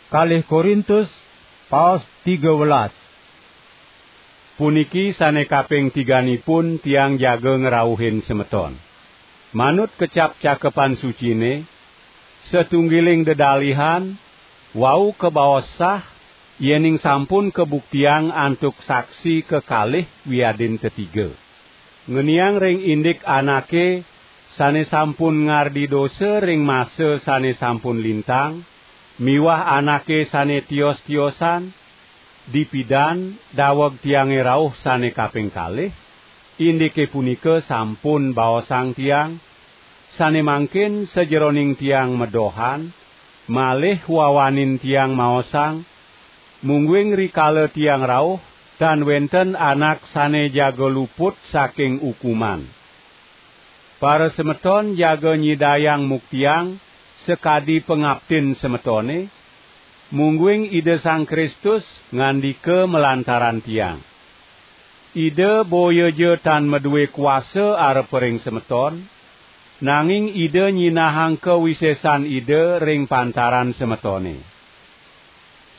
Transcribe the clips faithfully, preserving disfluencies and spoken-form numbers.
Kalih Korintus, paos tiga welas. Puniki sane kaping tiganipun tiang jaga ngrauhin semeton. Manut kecap Cakepan Sucine, satunggiling dedalihan, wau kabaos sah, yening sampun kabuktiang antuk saksi kekalih wiadin tetiga. Ngeniang ring indik anake sane sampun ngardi dosa ring masa sane sampun lintang, miwah anake sane tios-tiosan, dipidan daweg tiange rauh sane kaping kalih, indike punika sampun baosang tiang, sane mangkin sajeroning tiang medohan, malih wawanin tiang maosang, mungguing rikala tiang rauh, tan wenten anak sane jaga luput saking ukuman. Parasemeton jaga nyidayang muktiang sakadi pangaptin semetone, mungguing Ida Sang Kristus ngandika malantaran tiang. Ida boya ja tan madue kuasa arep ring semeton, nanging Ida nyinahang kawisesan Ida ring pantaran semetone.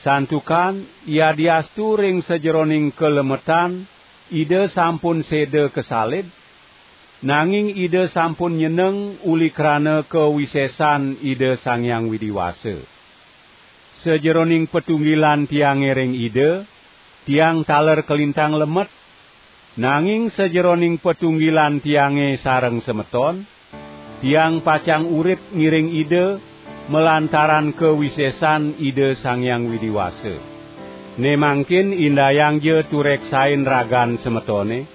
Santukan yadiastu ring sajeroning kalemetan Ida sampun seda kasalib, nanging Ida sampun nyeneng uli krana kawisesan Ida Sang Hyang Widi Wasa. Sajeroning patunggilan tiange ring Ida, tiang taler kalintang lemet, nanging sajeroning patunggilan tiange sareng semeton, tiang pacang urip ngiring Ida, malantaran kawisesan Ida Sang Hyang Widi Wasa. Ne mangkin indayang ja tureksain ragan semetone,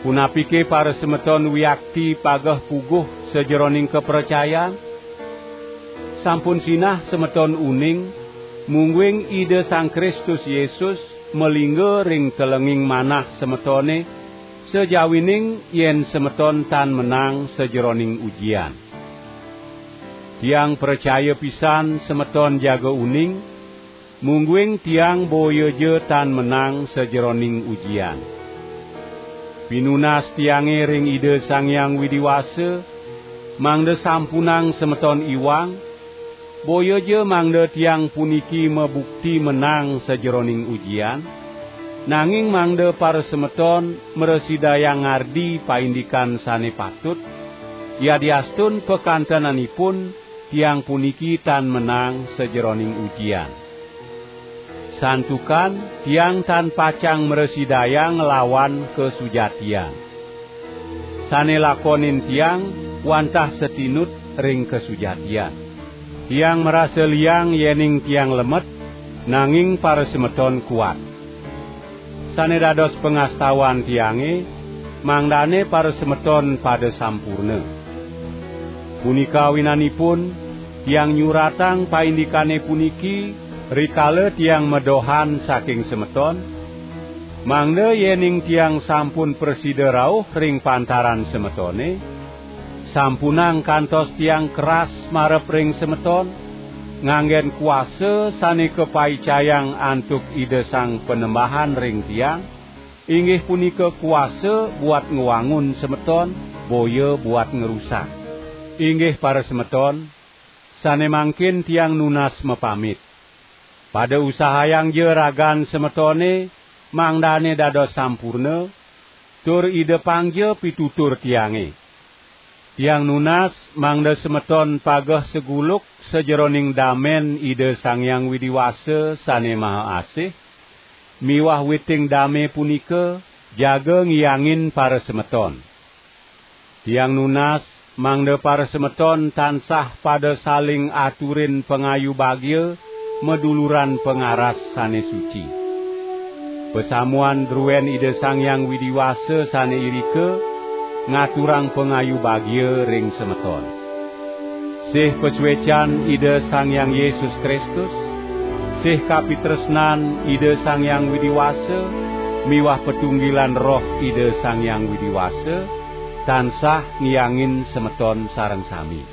punapike parasemeton wiakti pageh puguh sajeroning kapracayan? Sampun sinah semeton uning, mungguing Ida Sang Kristus Yesus malingga ring telenging manah semetone, sajawining yen semeton tan menang sajeroning ujian. Tiang pracaya pisan semeton jaga uning, mungguing tiang boya ja tan menang sajeroning ujian. Pinunas tiange ring Ida Sang Hyang Widi Wasa, mangda sampunang semeton iwang, boya ja mangda tiang puniki mabukti menang sajeroning ujian, nanging mangda parasemeton mrasidayang ngardi paindikan sane patut, yadiastun pakantenanipun tiang puniki tan menang sajeroning ujian. Santukan tiang tan pacang mrasidayang nglawan kasujatian. Sane lakonin tiang wantah satinut ring kasujatian. Tiang marasa liang yening tiang lemet, nanging parasemeton kuat. Sane dados pangastawan tiange, mangdane parasemeton pada sampurna. Punika awinanipun, tiang nyuratang paindikane puniki rikala tiang medohan saking semeton, mangda yening tiang sampun prasida rauh ring pantaran semetone, sampunang kantos tiang keras marep ring semeton, nganggen kuasa sane kapaicayang antuk Ida Sang Panembahan ring tiang, inggih punika kuasa buat ngwangun semeton, boya buat ngrusak. Inggih parasemeton, sane mangkin tiang nunas mapamit. Pada usahayang ja ragan semetone, mangdane dados sampurna, tur idepang ja pitutur tiange. Tiang nunas mangda semeton pageh saguluk sajeroning damen Ida Sang Hyang Widi Wasa sane maha asih, miwah witing dame punika jaga ngiyangin parasemeton. Tiang nunas mangda parasemeton tansah pada saling aturin pangayu bagia, maduluran pangaras sane suci. Pasamuan druen Ida Sang Hyang Widi Wasa sane irika ngaturang pangayu bagia ring semeton. Sih pasuecan Ida Sang Hyang Yesus Kristus, sih kapitresnan Ida Sang Hyang Widi Wasa, miwah patunggilan Roh Ida Sang Hyang Widi Wasa, tansah ngiyangin semeton sareng sami.